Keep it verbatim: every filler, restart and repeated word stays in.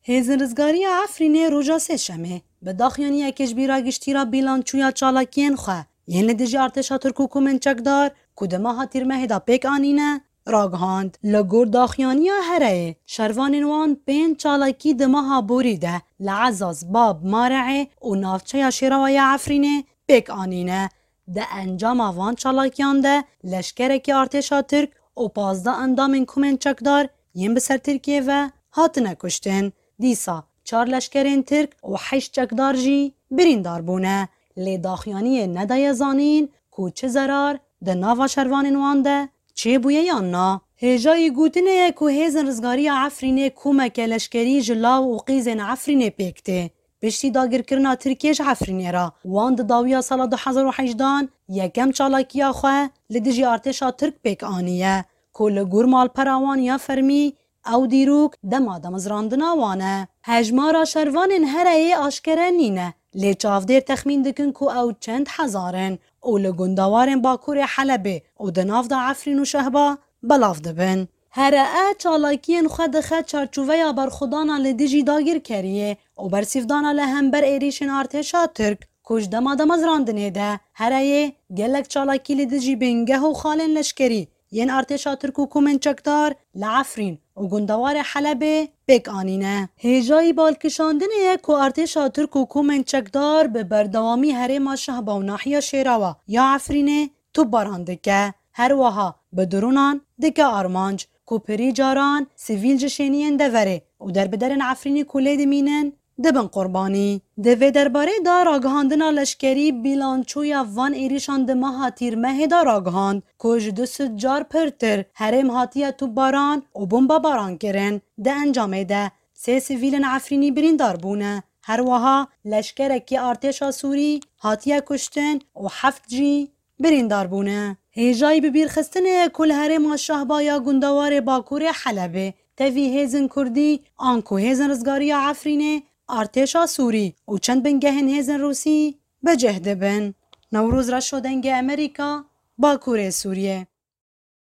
Hêzên Rizgariya Efrînê roja Sêşemê bi daxuyaniyekê ji bîra giştî re bîlançoya çalakiyên xwe yên li dijî artêşa Tirk û komên çekdar ku di meha Tîrmehê de pêk anîne, ragihand. Li gor daxuyaniya hereyê, şervanên wan pênc çalakî di meha borî de li Ezaz, Bab, Mare'ê û navçeya Şêrawa ya Efrînê pêk anîne. Di encama van çalakiyan de leşkerekî artêşa Tirk û pazdeh endamên komên çekdar yên bi ser Tirkiyê ve hatine kuştin. Dîsa çar leşkerên Tirk û heşt çekdar jî birîndar bûne. Lê daxuyaniyê nedaye zanîn ku çi zerar di nava şervanên wan de çêbûye yan na. Hêjayî gotinê ye ku Hêzên Rizgariya Efrînê komeke leşkerî ji law û qîzên Efrînê pêk tê. Piştî dagirkirina Tirkiyê ji Efrînê re, wan di dawiya sala du hezar û hejdehan yekem çalakiya xwe li dijî artêşa Tirk pêk aniye, ku li gor malpera wan ya fermî ew dîrok dema damezrandina wan e. Hejmara şervanên hereyê aşkere nîne, lê çavdêr texmîn dikin ku ew çend hezar in û li gundewarên bakurê Helebê û di nav de Efrîn û Şehba belav dibin. Here e çalakiyên xwe dixe çarçoveya berxwedana li dijî dagirkeriyê û bersîvdana li hember êrîşên artêşa Tirk ku ji dema damezrandinê de hereyê gelek çalakî li dijî bingeh û xalên leşkerî yên artêşa Tirk û komên çekdar li Efrîn û gundewarê Helebê pêk anîne. Hêjayî balkişandinê ye ku artêşa Tirk û komên çekdar bi berdewamî herêma Şehba û nahiya Şêrawa ya Efrînê topbaran dike. Her wiha bi dronan dike armanc, ku pirî caran sivîl ji şêniyên deverê û derbiderên Efrînî ku lê dimînin, dibin qurbanî. Di vê derbarê de ragihandina leşkerî bîlançoya van êrîşan di meha Tîrmehê de ragihand ku ji du sed car pirtir herêm hatiye topbaran û bombebaran kirin. Di encamê de sê sivîlên Efrînî birîndar bûne. Her wiha leşkerekî artêşa Sûrî hatiye kuştin û heft jî birîndar bûne. Hêjayî bibîrxistinê ye ku li herêma Şehba ya gundewarê bakurê Helebê tevî hêzên Kurdî anku hêzên rizgariya Efrînê, artêşa Sûrî û çend bingehên hêzên Rûsî bi cih dibin. Newroz Reşo, Dengê Amerîka, Bakurê Sûriyê.